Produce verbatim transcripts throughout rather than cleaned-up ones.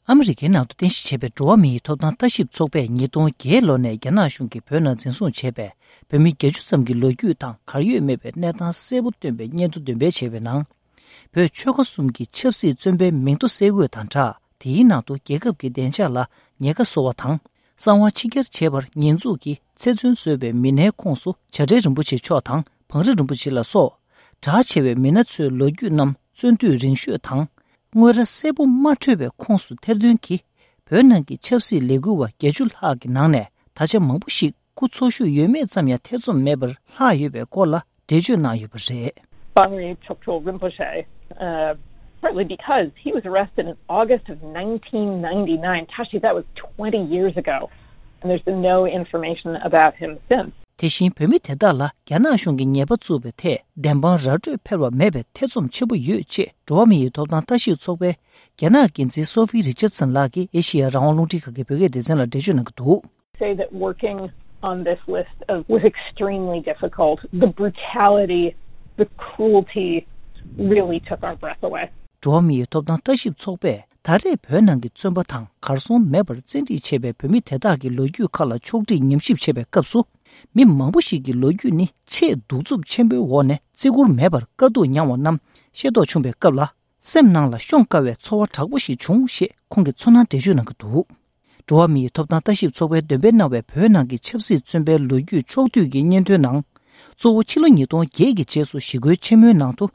ཨ་མི་རི་ཀའི་ནང་དུ་རྟེན་གཞི་བྱས་པའི་འགྲོ་བ་མིའི་ཐོབ་ཐང་ལྟ་ཞིབ་ཚོགས་པས་ཉིས་སྟོང་བརྒྱད་ལོ་ནས་རྒྱ་ནག་གཞུང་གིས་བོད་ནང་འཛིན་བཟུང་བྱས་པའི་བོད་མི་བརྒྱད་ཅུ་ཙམ་གྱི་ལོ་རྒྱུས་དང་གར་ཡོད་མེད་པའི་གནས་སྟངས་གསལ་པོ་སྟོན་པའི་སྙན་ཐོ་འདོན་སྤེལ་བྱས་པའི་ནང་། བོད་ཆོལ་ཁ་གསུམ་གྱི་ཆབ་སྲིད་བཙོན་པའི་མིང་ཐོ་གསལ་འགོད་དང་སྦྲགས། དེའི་ནང་དུ་རྒྱལ་ཁབ་ཀྱི་བདེ་འཇགས་ལ་ཉེན་ཁ་བཟོ་བ་དང་། གསང་བ་ཕྱི་གྱར་བྱེད་པར་ཉེས་འཛུགས་ཀྱིས་ཚེ་བཙོན་བཟོས་པའི་མི་སྣའི་ཁོངས་སུ་བྱ་བྲལ་རིན་པོ་ཆེ་མཆོག་དང་བང་རི་རིན་པོ་ཆེ་ལ་སོགས། གྲགས་ཆེ་བའི་མི་སྣ་ཚོའི་ལོ་རྒྱུས་རྣམས་བཙོན་དུས་རིང་ཤོས་དང་། དངོས་ར་གསལ་པོ་མ་འཕྲོད་པའི་ཁོངས་སུ་ཐེར་འདོན་གྱིས། བོད་ནང་གི་ཆབ་སྲིད་ལས་འགུལ་བ་བརྒྱད་ཅུ་ལྷག་གི་ནང་ནས་ད་ཆ་མང་པོ་ཞིག་སྐུ་འཚོ་བཞུགས་ཡོད་མེད་ཙམ་ཡང་ཐེ་ཚོམ་མེད་པར་ལྷག་ཡོད་པའི་སྐོར་ལ་འགྲེལ་བརྗོད་གནང་ཡོད་པ་རེད། Bangri Choktrul Rinpoche, uh, partly because he was arrested in August of nineteen ninety-nine. Tashi, that was twenty years ago, and there's been no information about him since. དེ་བཞིན་བོད་མི་དེ་དག་ལ་རྒྱ་ནག་གཞུང་གིས་ཉེས་པ་བཙུགས་པའི་ཐད་བདེན་དཔང་ར་སྤྲོད་འཕེར་བ་མེད་པའི་ཐེ་ཚོམ་ཆེན་པོ་ཡོད་ཅེས་འགྲོ་བ་མི་ཡི་ཐོབ་ཐང་ལྟ་ཞིབ་ཚོགས་པའི་རྒྱ་ནག་འགན་འཛིན་སོ་ཕི་རི་ཅར་སན་ལགས་ཀྱིས་ཨེ་ཤེ་ཡ་རང་དབང་རླུང་འཕྲིན་ཁང་གི་བོད་སྐད་སྡེ་ཚན་ལ་འགྲེལ་བརྗོད་གནང་གི་འདུག། Say that working on this list of, was extremely difficult. The brutality, the cruelty really took our breath away. འགྲོ་བ་མིའི་ཐོབ་ཐང་ལྟ་ཞིབ་ཚོགས་པས་ད་རེས་བོད་ནང་གི་བཙོན་པ་དང་གར་སོང་མེད་པར་བཙན་ཁྲིད་བྱས་པའི་བོད་མི་དེ་དག་གི་ལོ་རྒྱུས་ཁག་ལ་ཕྱོགས་སྒྲིག་ཉམས་ཞིབ་བྱེད་པའི་སྐབས་སུ། མི་མང་པོ་ཞིག་གི་ལོ་རྒྱུས་ནི་ཆེས་གདུག་རྩུབ་ཆེན་པོའི་འོག་ནས་བརྩི་བཀུར་མེད་པར་དཀའ་སྡུག་མྱངས་བ་རྣམས་ཤེས་རྟོགས་བྱུང་བའི་སྐབས་ལ། སེམས་ནང་ལ་ཤོང་དཀའ་བའི་ཚོར་བ་དྲག་པོ་ཞིག་བྱུང་ཞེས་ཁོང་གིས་ཚོར་སྣང་འགྲེལ་བརྗོད་གནང་གི་འདུག། འགྲོ་བ་མིའི་ཐོབ་ཐང་ལྟ་ཞིབ་ཚོགས་པས་འདོན་སྤེལ་གནང་བའི་བོད་ནང་གི་ཆབ་སྲིད་བཙོན་པའི་ལོ་རྒྱུས་ཕྱོགས་བསྡུས་ཀྱི་སྙན་ཐོའི་ནང་། གཙོ་བོ་ཕྱི་ལོ་ཉིས་སྟོང་བརྒྱད་ཀྱི་རྗེས་སུ་ཞི་རྒོལ་ཆེན་མོའི་ནང་དུ།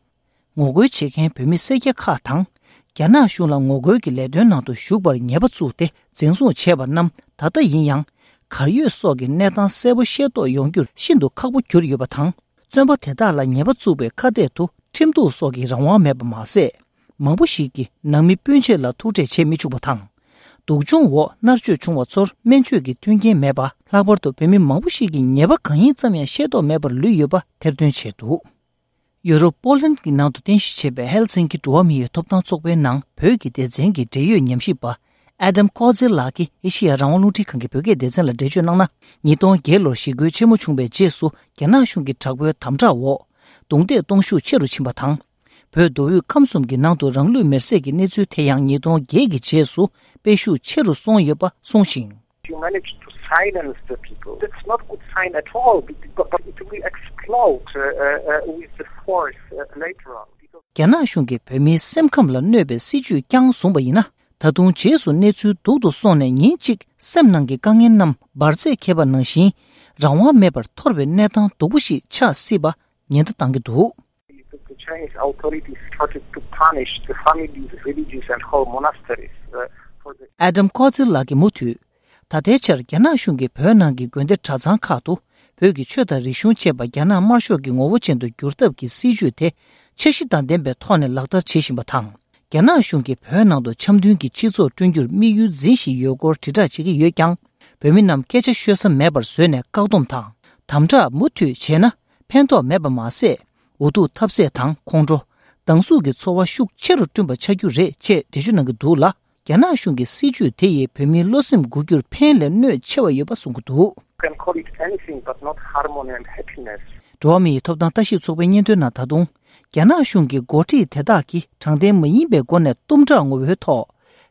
ངོ་རྒོལ་བྱེད་མཁན་བོད་མི་སེར་སྐྱ་ཁག་དང་། རྒྱ་ནག་གཞུང་ལ་ངོ་རྒོལ་གྱི་ལས་དོན་ནང་དུ་ཞུགས་པར་ཉེས་པ་བཙུགས་ཏེ་འཛིན་བཟུང་བྱས་པ་རྣམས་ད་ལྟ་ཡིན་ཡང་། གར་ཡོད་སོགས་ཀྱི་གནས་སྟངས་གསལ་པོ་ཤེས་རྟོགས་ཡོང་རྒྱུར་ཤིན་ཏུ་ཁག་པོ་གྱུར་ཡོད་པ་དང་། བཙོན་པ་དེ་དག་ལ་ཉེས་པ་བཙུགས་པའི་ཁ་གཏད་དུ་ཁྲིམས་གཏུག་སོགས་ཀྱི་རང་དབང་མེད་པ་མ་ཟད། མང་པོ་ཞིག་གིས་ནང་མི་སྤུན་མཆེད་ལ་ཐུག་འཕྲད་བྱེད་མི་ཆོག་པ་དང་། སྡུག་སྦྱོང་འོག་མནར་གཅོད་བྱུང་བ་ཚོར་སྨན་བཅོས་ཀྱི་མཐུན་རྐྱེན་མེད་པ། ལྷག་པར་དུ་བོད་མི་མང་པོ་ཞིག་གིས་ཉེས་པ་གང་ཡིན་ཙམ་ཡང་ཤེས་རྟོགས་མེད་པར་ལུས་ཡོད་པ་ཐེར་འདོན་བྱས་འདུག། ཡུ་རོབ་པོ་ལན་གྱི་ནང་དུ་རྟེན་གཞི་བྱས་པའི་ཧེལ་སིན་ཀི་འགྲོ་བ་མིའི་ཐོབ་ཐང་ཚོགས་པའི་ནང་བོད་ཀྱི་སྡེ་ཚན་གྱི་འབྲེལ་ཡོད་ཉམས་ཞིབ་པ་ཨེ་ཌམ་ཀོ་ཛེ་ལགས་ཀྱིས་ཨེ་ཤེ་ཡ་རང་དབང་རླུང་འཕྲིན་ཁང་གི་བོད་སྐད་སྡེ་ཚན་ལ་འགྲེལ་བརྗོད་གནང་ན། ཉིས་སྟོང་བརྒྱད་ལོར་ཞི་རྒོལ་ཆེན་མོ་བྱུང་བའི་རྗེས་སུ་རྒྱ་ནག་གཞུང་གི་དྲག་པོའི་དམ་དྲག་འོག་རྡུང་རྡེག་གཏོང་ཤུགས་ཆེ་རུ་ཕྱིན་པ་དང་། བོད་མདོ་དབུས་ཁམས་གསུམ་གྱི་ནང་དུ་རང་ལུས་མེར་སྲེག་གི་གནས་ཚུལ་དེ་ཡང་ཉིས་སྟོང་བརྒྱད་ཀྱི་རྗེས་སུ་སྤེལ་ཤུགས་ཆེ་རུ་སོང་ཡོད་པ་གསུངས་ཤིང་། You managed to silence the people. That's not good sign at all, be- but, but it will explode uh, uh, uh, with the force uh, later on. Because རྒྱ་ནག་གཞུང་གིས་བོད་མིའི་སེམས་ཁམས་ལ་གནོད་པའི་སྲིད་ཇུས་བསྐྱངས་བཟུང་བ་ཡིན་ན། ད་དུང་རྗེས་སུ་གནས་ཚུལ་སྡུག་ཏུ་སོང་ནས་ཉིན་གཅིག་སེམས་ནང་གི་དཀའ་ངལ་རྣམས་འབར་རྫས་འཁེལ་བ་ནང་བཞིན་རང་དབང་མེད་པར་འཐོར་བའི་གནས་སྟངས་སྡུག་པོ་ཞིག་ཆགས་སྲིད་པ་ཉེན་བརྡ་བཏང་གི་འདུག། The Chinese authorities started to punish the families, villages, and whole monasteries uh, for the ཨེ་ཌམ་ཀོ་ཛེ་ལགས་ཀྱིས་མུ་མཐུད། ད་ལྟའི་ཆར་རྒྱ་ནག་གཞུང་གིས་བོད་ནང་གི་དགོན་སྡེ་གྲྭ་ཚང་ཁག་ཏུ་བོད་ཀྱི་ཆོས་དང་རིག་གཞུང་བཅས་པ་རྒྱ་ནག་དམར་ཤོག་གི་ངོ་བོ་ཅན་དུ་བསྒྱུར་ཐབས་ཀྱི་སྲིད་ཇུས་དེ་འཆར་གཞི་དང་ལྡན་པའི་ཐོག་ནས་ལག་བསྟར་བྱེད་བཞིན་པ་དང་། རྒྱ་ནག་གཞུང་གིས་བོད་ནང་དུ་འཆམ་མཐུན་གྱི་སྤྱི་ཚོགས་བསྐྲུན་རྒྱུར་དམིགས་ཡུལ་འཛིན་བཞིན་ཡོད་སྐོར་དྲིལ་བསྒྲགས་བྱེད་ཀྱི་ཡོད་ཀྱང་། བོད་མི་རྣམས་སྐད་ཆ་ཤོད་ས་མེད་པར་བཟོས་ནས་བཀག་སྡོམ་དང་། དམ་དྲག་མུ་མཐུད་བྱས་ན། ཕན་ཐོགས་མེད་པ་མ་ཟད། འུ་ཐུག་ཐབས་ཟད་དང་ཁོང་ཁྲོ། སྡང་ཟུག་གི་ཚོར་བ་ཤུགས་ཆེ་རུ་བསྐྲུན་པ་ཆགས་རྒྱུ་རེད་ཅེས་འགྲེལ་བརྗོད་གནང་གི་འདུག་ལ། རྒྱ་ནག་གཞུང་གི་སྲིད་ཇུས་དེ་ཡིས་བོད་མིའི་བློ་སེམས་འགུག་རྒྱུར་ཕན་ལས་གནོད་ཆེ་བ་ཡོད་པ་གསུང་གི་འདུག། You can call it anything but not harmony and happiness. འགྲོ་བ་མིའི་ཐོབ་ཐང་ལྟ་ཞིབ་ཚོགས་པའི་སྙན་ཐོའི་ནང་ད་དུང་། རྒྱ་ནག་གཞུང་གི་འགོ་ཁྲིད་དེ་དག་གིས་དྲང་བདེན་མ་ཡིན་པའི་སྒོ་ནས་གཏུམ་དྲག་ངོ་བོའི་ཐོག་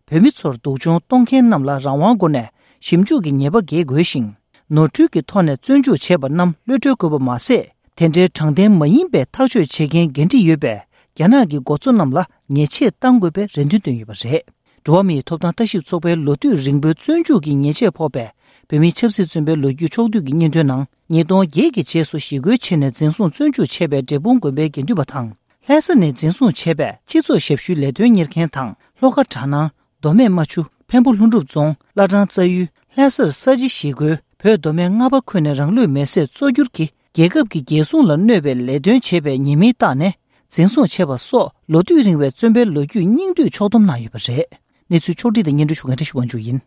བོད་མི་ཚོར་སྡུག་སྦྱོང་གཏོང་མཁན་རྣམས་ལ་རང་དབང་སྒོ་ནས་ཞིབ་འཇུག་གི་ཉེས་པ་འགེལ་དགོས་ཤིང་། ནོར་འཁྲུལ་གྱི་ཐོག་ནས་བཙོན་འཇུག་བྱས་པ་རྣམས་གློད་བཀྲོལ་དགོས་པ་མ་ཟད། དེ་འདྲའི་དྲང་བདེན་མ་ཡིན་པའི་ཐག་གཅོད་བྱེད་མཁན་འགན་འཁྲི་ཡོད་པའི་རྒྱ་ནག་གི་འགོ་གཙོ་རྣམས་ལ་ཉེས་ཆད་གཏང་དགོས་པའི་རེ་འདུན་བཏོན་ཡོད་པ་རེད། འགྲོ་བ་མིའི་ཐོབ་ཐང་ལྟ་ཞིབ་ཚོགས་པའི་ལོ་དུས་རིང་པོའི་བཙོན་འཇུག་གི་ཉེས་ཆད་ཕོག་པའི་བོད་མིའི་ཆབ་སྲིད་བཙོན་པའི་ལོ་རྒྱུས་ཕྱོགས་བསྡུས་ཀྱི་སྙན་ཐོའི་ནང་། ཉིས་སྟོང་བརྒྱད་ཀྱི་རྗེས་སུ་ཞི་རྒོལ་བྱས་ནས་འཛིན་བཟུང་བཙོན་འཇུག་བྱས་པའི་འབྲས་སྤུངས་དགོན་པའི་དགེ་འདུན་པ་དང་། ལྷ་ས་ནས་འཛིན་བཟུང་བྱས་པའི་སྤྱི་ཚོགས་ཞབས་ཞུའི་ལས་དོན་གཉེར་མཁན་དང་། ལྷོ་ཁ་གྲ་ནང་། མདོ་སྨད་རྨ་ཆུ། འཕན་པོ་ལྷུན་གྲུབ་རྫོང་། བླ་བྲང་རྩ་ཡུལ། ལྷ་སར་ས་བྱི་ཞི་རྒོལ། བོད་མདོ་སྨད་རྔ་པ་ཁུལ་ནས་རང་ལུས་མེར་སྲེག་གཙོ་གྱུར་གྱིས་རྒྱལ་ཁབ་ཀྱི་རྒྱལ་སྲུང་ལ་གནོད་པའི་ལས་དོན་བྱས་པའི་ཉེས་མིང་བཏགས་ནས་འཛིན་བཟུང་བྱས་པ་སོགས་ལོ་དུས་རིང་བའི་བཙོན་པའི་ལོ་རྒྱུས་སྙིང་བསྡུས་ཕྱོགས་བསྡོམས་གནང་ཡོད་པ་རེད། གནས་ཚུལ་ཕྱོགས་སྒྲིག་དང་སྙན་སྒྲོན་ཞུ་མཁན་བཀྲ་ཤིས་དབང་ཕྱུག་ཡིན།